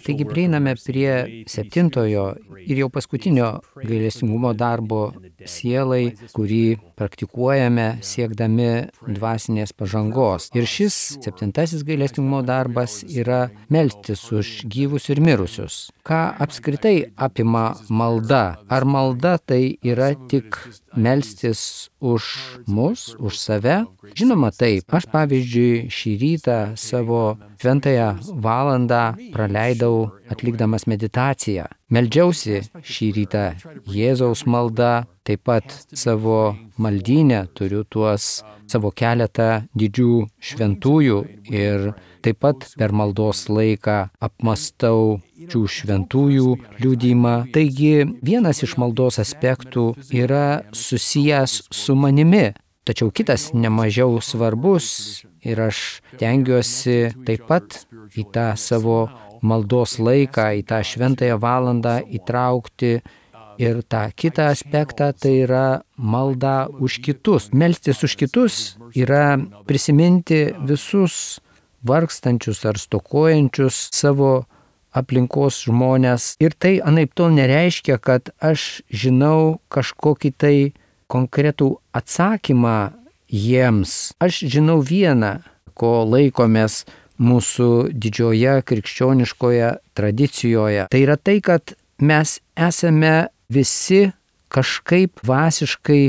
Taigi prieiname prie septintojo ir jau paskutinio gailestingumo darbo sielai, kurį praktikuojame siekdami dvasinės pažangos. Ir šis septintasis gailestingumo darbas yra melstis už gyvus ir mirusius. Ką apskritai apima malda? Ar malda tai yra tik melstis už mus, už save? Žinoma taip. Aš pavyzdžiui šį rytą savo šventąją valandą praleidau atlikdamas meditaciją. Meldžiausi šį rytą Jėzaus maldą, taip pat savo maldyne turiu tuos savo keletą didžių šventųjų ir taip pat per maldos laiką apmastau šių šventųjų liudijimą. Taigi vienas iš maldos aspektų yra susijęs su manimi. Tačiau kitas nemažiau svarbus ir aš tengiuosi taip pat į tą savo maldos laiką, į tą šventąją valandą įtraukti ir tą kitą aspektą, tai yra malda už kitus. Melstis už kitus yra prisiminti visus vargstančius ar stokojančius savo aplinkos žmonės. Ir tai anaiptol nereiškia, kad aš žinau kažkokį tai konkretų atsakymą jiems. Aš žinau vieną, ko laikomės mūsų didžioje krikščioniškoje tradicijoje. Tai yra tai, kad mes esame visi kažkaip dvasiškai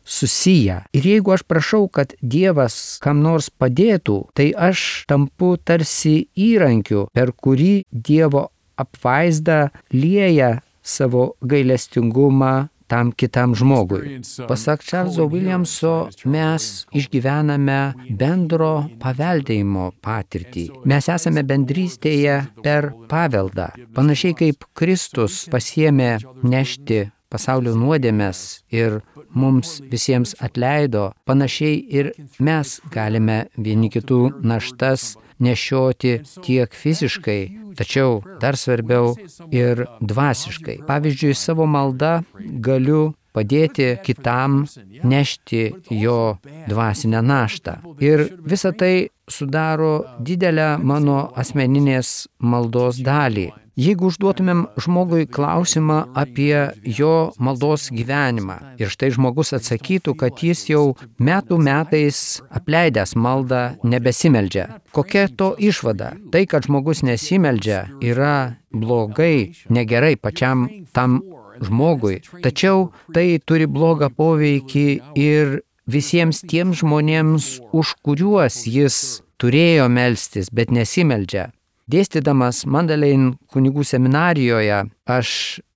susiję. Ir jeigu aš prašau, kad Dievas kam nors padėtų, tai aš tampu tarsi įrankiu, per kurį Dievo apvaizda lieja savo gailestingumą tam kitam žmogui. Pasak Čarlzo Williamso, mes išgyvename bendro paveldėjimo patirtį. Mes esame bendrystėje per paveldą. Panašiai kaip Kristus pasiėmė nešti pasaulio nuodėmes ir mums visiems atleido, panašiai ir mes galime vieni kitų naštas nešioti tiek fiziškai, tačiau dar svarbiau ir dvasiškai. Pavyzdžiui, savo malda galiu padėti kitam nešti jo dvasinę naštą. Ir visa tai sudaro didelę mano asmeninės maldos dalį. Jeigu užduotumėm žmogui klausimą apie jo maldos gyvenimą ir štai žmogus atsakytų, kad jis jau metų metais apleidęs maldą nebesimeldžia. Kokia to išvada? Tai, kad žmogus nesimeldžia, yra blogai, negerai pačiam tam žmogui. Tačiau tai turi blogą poveikį ir visiems tiems žmonėms, už kuriuos jis turėjo melstis, bet nesimeldžia. Dėstydamas Mandalein kunigų seminarijoje, aš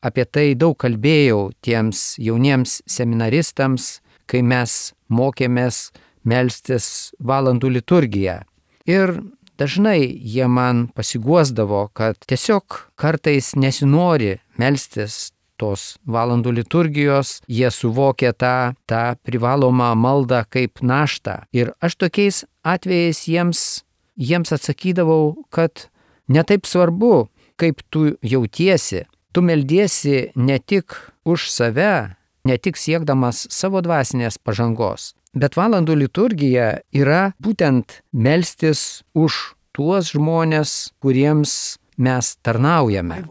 apie tai daug kalbėjau tiems jauniems seminaristams, kai mes mokėmės melstis valandų liturgiją. Ir dažnai jie man pasiguosdavo, kad tiesiog kartais nesinori melstis tos valandų liturgijos, jie suvokia tą, tą privalomą maldą kaip naštą. Ir aš tokiais atvejais jiems, jiems atsakydavau, kad netaip svarbu, kaip tu jautiesi. Tu meldiesi ne tik už save, ne tik siekdamas savo dvasinės pažangos, bet valandų liturgija yra būtent melstis už tuos žmonės, kuriems mes tarnaujame.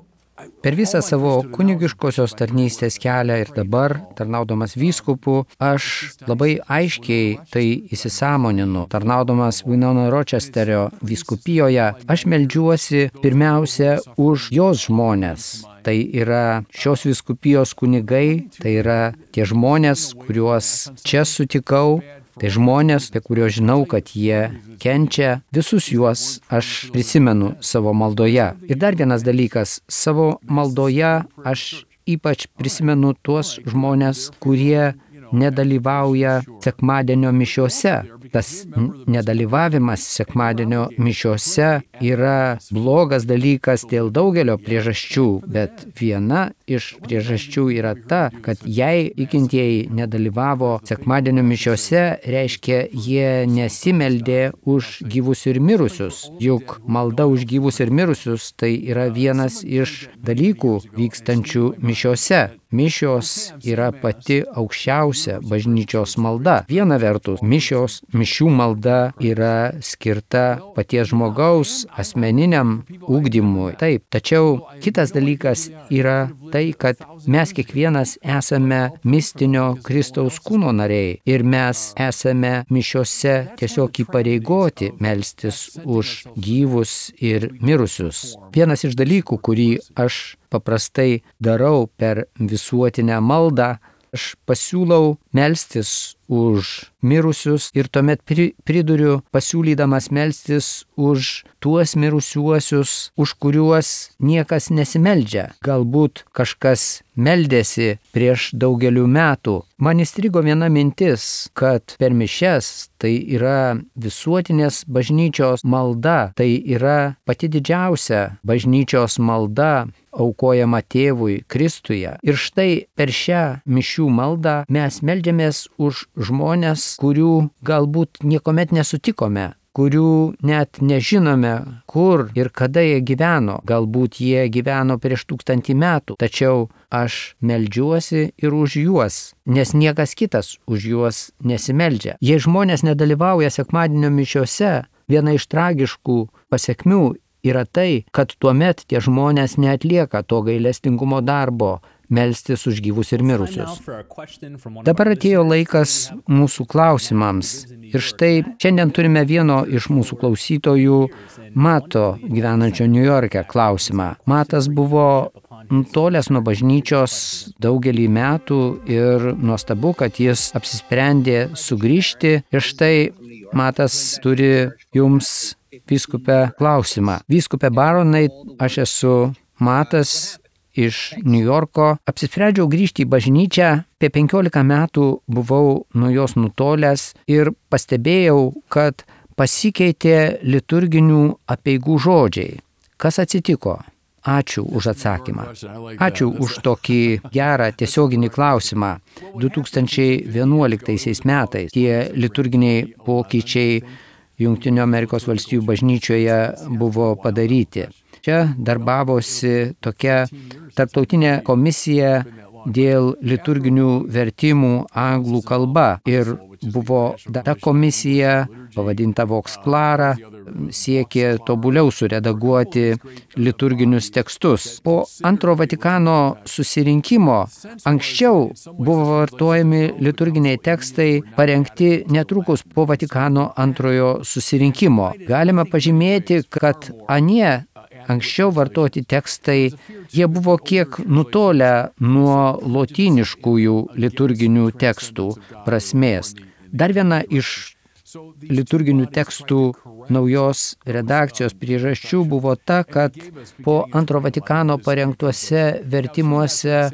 Per visą savo kunigiškosios tarnystės kelią ir dabar, tarnaudamas vyskupu, aš labai aiškiai tai įsisąmoninu. Tarnaudamas Winona Rochesterio vyskupijoje, aš meldžiuosi pirmiausia už jos žmonės. Tai yra šios vyskupijos kunigai, tai yra tie žmonės, kuriuos čia sutikau. Tai žmonės, apie kuriuos žinau, kad jie kenčia, visus juos aš prisimenu savo maldoje. Ir dar vienas dalykas, savo maldoje aš ypač prisimenu tuos žmonės, kurie nedalyvauja sekmadienio mišiose. Tas nedalyvavimas sekmadienio mišiose yra blogas dalykas dėl daugelio priežasčių, bet viena iš priežasčių yra ta, kad jei tikintieji nedalyvavo sekmadienio mišiose, reiškia, jie nesimeldė už gyvus ir mirusius. Juk malda už gyvus ir mirusius tai yra vienas iš dalykų vykstančių mišiose. Mišios yra pati aukščiausia bažnyčios malda. Viena vertus, mišios, mišių malda yra skirta paties žmogaus asmeniniam ugdymui. Taip, tačiau kitas dalykas yra tai, kad mes kiekvienas esame mistinio Kristaus kūno nariai ir mes esame mišiose tiesiog įpareigoti melstis už gyvus ir mirusius. Vienas iš dalykų, kurį aš paprastai darau per visuotinę maldą, aš pasiūlau melstis už mirusius ir tuomet priduriu pasiūlydamas melstis už tuos mirusiuosius, už kuriuos niekas nesimeldžia. Galbūt kažkas meldėsi prieš daugelių metų. Man įstrigo viena mintis, kad per mišias tai yra visuotinės bažnyčios malda, tai yra pati didžiausia bažnyčios malda, aukojama tėvui Kristuje. Ir štai per šią mišių maldą mes meldžiamės už žmonės, kurių galbūt niekuomet nesutikome, kurių net nežinome, kur ir kada jie gyveno. Galbūt jie gyveno prieš tūkstantį metų, tačiau aš meldžiuosi ir už juos, nes niekas kitas už juos nesimeldžia. Jei žmonės nedalyvauja sekmadienio mišiose, viena iš tragiškų pasekmių yra tai, kad tuomet tie žmonės neatlieka to gailestingumo darbo, melstis už gyvus ir mirusius. Dabar atėjo laikas mūsų klausimams. Ir štai šiandien turime vieno iš mūsų klausytojų, Mato, gyvenančio Niujorke, klausimą. Matas buvo nutolęs nuo bažnyčios daugelį metų ir nuostabu, kad jis apsisprendė sugrįžti. Ir štai Matas turi jums vyskupe klausimą. Vyskupe Baronai, aš esu Matas iš Niujorko. Apsisprendžiau grįžti į bažnyčią. Apie penkiolika metų buvau nuo jos nutolęs ir pastebėjau, kad pasikeitė liturginių apeigų žodžiai. Kas atsitiko? Ačiū už atsakymą. Ačiū už tokį gerą tiesioginį klausimą. du tūkstančiai vienuoliktaisiais metais tie liturginiai pokyčiai Jungtinių Amerikos valstijų bažnyčioje buvo padaryti. Čia darbavosi tokia tarptautinė komisija dėl liturginių vertimų anglų kalba. Ir buvo ta komisija, pavadinta Vox Clara, siekė tobuliau suredaguoti liturginius tekstus. Po antro Vatikano susirinkimo anksčiau buvo vartojami liturginiai tekstai parengti netrukus po Vatikano antrojo susirinkimo. Galima pažymėti, kad anie anksčiau vartoti tekstai, jie buvo kiek nutolę nuo lotyniškųjų liturginių tekstų prasmės. Dar viena iš liturginių tekstų naujos redakcijos priežasčių buvo ta, kad po antro Vatikano parengtuose vertimuose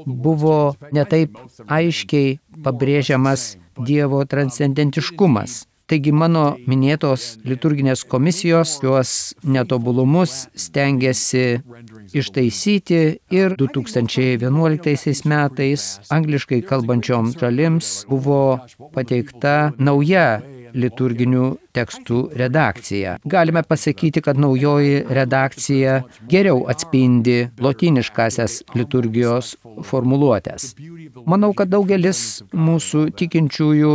buvo netaip aiškiai pabrėžiamas Dievo transcendentiškumas. Taigi mano minėtos liturginės komisijos šiuos netobulumus stengiasi ištaisyti ir du tūkstančiai vienuoliktaisiais metais angliškai kalbančioms šalims buvo pateikta nauja liturginių tekstų redakcija. Galime pasakyti, kad naujoji redakcija geriau atspindi lotyniškasias liturgijos formuluotės. Manau, kad daugelis mūsų tikinčiųjų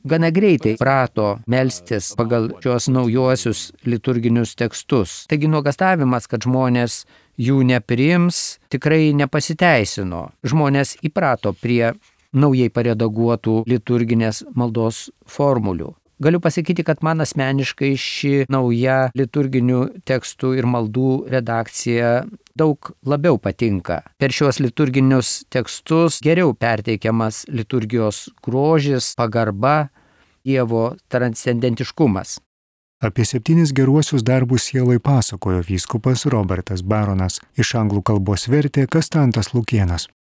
gana greitai prato melstis pagal šios naujuosius liturginius tekstus. Taigi nuogąstavimas, kad žmonės jų nepriims, tikrai nepasiteisino. Žmonės įprato prie naujai paredaguotų liturginės maldos formulių. Galiu pasakyti, kad man asmeniškai ši nauja liturginių tekstų ir maldų redakcija daug labiau patinka. Per šios liturginius tekstus geriau perteikiamas liturgijos grožis, pagarba, Dievo transcendentiškumas. Apie septynis geruosius darbus sielai pasakojo vyskupas Robertas Baronas, iš anglų kalbos vertė Kastantas Lukėnas.